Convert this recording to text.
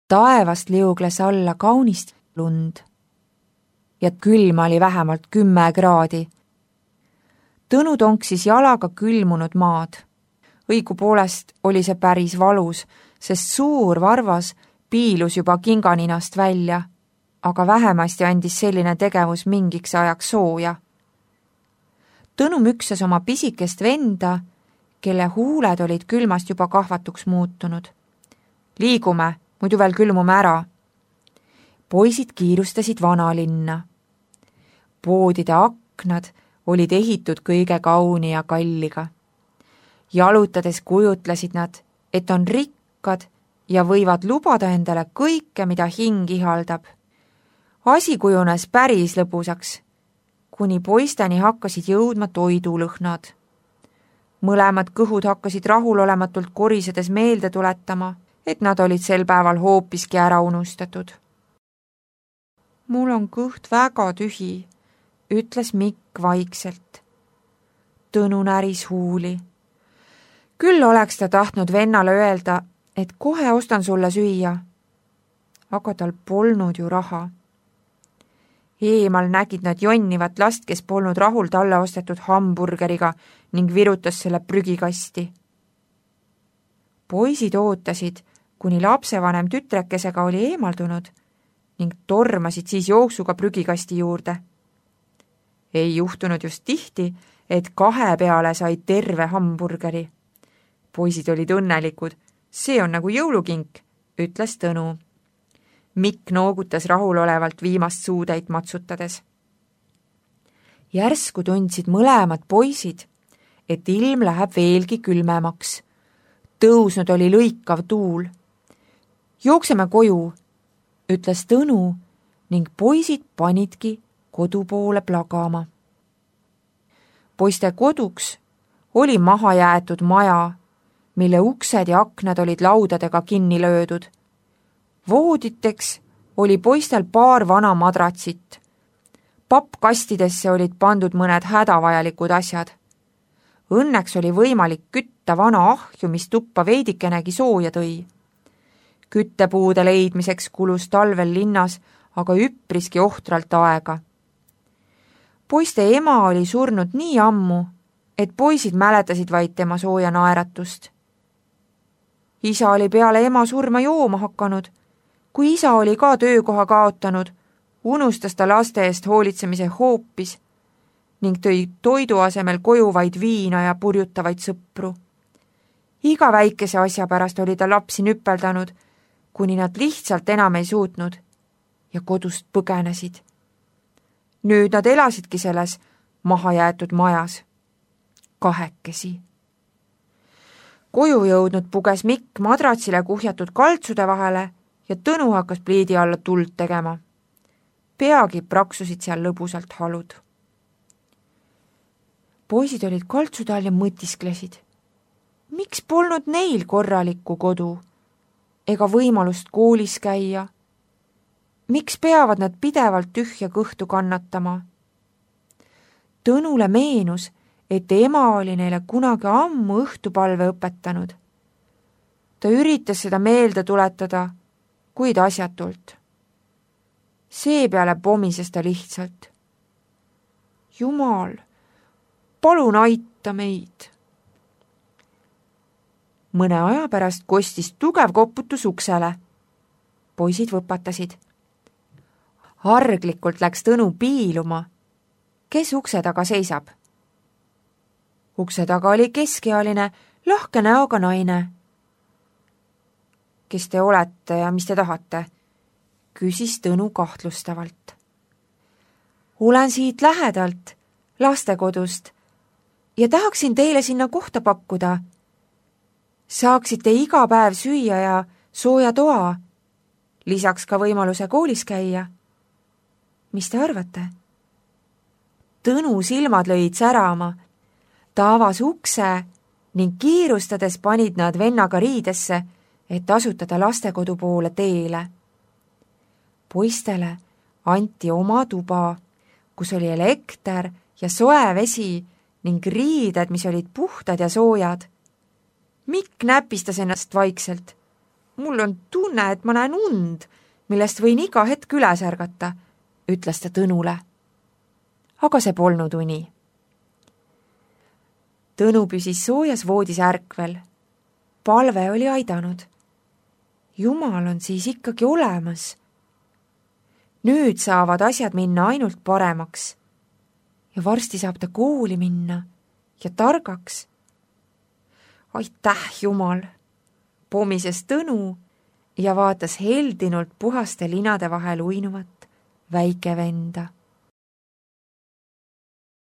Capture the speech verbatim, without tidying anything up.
Taevast liugles alla kaunist lund ja külma oli vähemalt kümme kraadi. Tõnu tonksis jalaga külmunud maad. Õigupoolest oli see päris valus, sest suur varvas piilus juba kinganinast välja, aga vähemasti andis selline tegevus mingiks ajaks sooja. Tõnu müksas oma pisikest venda, kelle huuled olid külmast juba kahvatuks muutunud. Liigume, muidu veel külmume ära. Poisid kiirustasid vanalinna. Poodide aknad olid ehitud kõige kauni ja kalliga. Jalutades kujutlesid nad, et on rikkad ja võivad lubada endale kõike, mida hing ihaldab. Asi kujunes päris lõbusaks, kuni poisteni hakkasid jõudma toidulõhnad. Mõlemad kõhud hakkasid rahulolematult korisedes meelde tuletama, et nad olid sel päeval hoopiski ära unustatud. Mul on kõht väga tühi, ütles Mikk vaikselt. Tõnu näris huuli. Küll oleks ta tahtnud vennale öelda, et kohe ostan sulle süüa, aga tal polnud ju raha. Eemal nägid nad jonnivat last, kes polnud rahul talle ostetud hamburgeriga ning virutas selle prügikasti. Poisid ootasid, kuni lapsevanem tütrekesega oli eemaldunud ning tormasid siis jooksuga prügikasti juurde. Ei juhtunud just tihti, et kahe peale sai terve hamburgeri. Poisid olid õnnelikud, see on nagu jõulukink, ütles Tõnu. Mikk noogutas rahulolevalt viimast suutäit matsutades. Järsku tundsid mõlemad poisid, et ilm läheb veelgi külmemaks. Tõusnud oli lõikav tuul. Jookseme koju, ütles Tõnu ning poisid panidki kodu poole plagama. Poiste koduks oli maha jäetud maja, mille uksed ja aknad olid laudadega kinni löödud. Vooditeks oli poistel paar vana madratsit. Pappkastidesse olid pandud mõned hädavajalikud asjad. Õnneks oli võimalik kütta vana ahju, mis tuppa veidikenegi sooja tõi. Küttepuude leidmiseks kulus talvel linnas aga üpriski ohtralt aega. Poiste ema oli surnud nii ammu, et poisid mäletasid vaid tema sooja naeratust. Isa oli peale ema surma jooma hakanud. Kui isa oli ka töökoha kaotanud, unustas ta laste eest hoolitsemise hoopis ning tõi toidu asemel koju vaid viina ja purjutavaid sõpru. Iga väikese asja pärast oli ta lapsi nüpeldanud, kuni nad lihtsalt enam ei suutnud ja kodust põgenesid. Nüüd nad elasidki selles mahajäetud majas. Kahekesi. Koju jõudnud puges Mikk madratsile kuhjatud kaltsude vahele ja Tõnu hakkas pliidi alla tuld tegema. Peagi praksusid seal lõbusalt halud. Poisid olid kaltsude all ja mõtisklesid. Miks polnud neil korralikku kodu ega võimalust koolis käia? Miks peavad nad pidevalt tühja kõhtu kannatama? Tõnule meenus, et ema oli neile kunagi ammu õhtupalve õpetanud. Ta üritas seda meelde tuletada, kuid asjatult. Seepeale pomises ta lihtsalt. Jumal, palun aita meid. Mõne aja pärast kostis tugev koputus uksele. Poisid võpatasid. Arglikult läks Tõnu piiluma. Kes ukse taga seisab? Ukse taga oli keskealine, lahke näoga naine. Kes te olete ja mis te tahate? Küsis Tõnu kahtlustavalt. Olen siit lähedalt, lastekodust, ja tahaksin teile sinna kohta pakkuda. Saaksite iga päev süüa ja sooja toa, lisaks ka võimaluse koolis käia. Mis te arvate? Tõnu silmad lõid särama. Ta avas ukse ning kiirustades panid nad vennaga riidesse, et asutada lastekodu poole teele. Poistele anti oma tuba, kus oli elekter ja soe vesi ning riided, mis olid puhtad ja soojad. Mikk näpistas ennast vaikselt. mul on tunne, et ma näen und, millest võin iga hetk üles ärgata, ütles ta Tõnule. Aga see polnud uni. Tõnu püsis soojas voodis ärkvel. Palve oli aidanud. Jumal on siis ikkagi olemas. Nüüd saavad asjad minna ainult paremaks. Ja varsti saab ta kooli minna ja targaks. Aitäh, Jumal! Pomises Tõnu ja vaatas heldinult puhaste linade vahel uinuvat väike venda.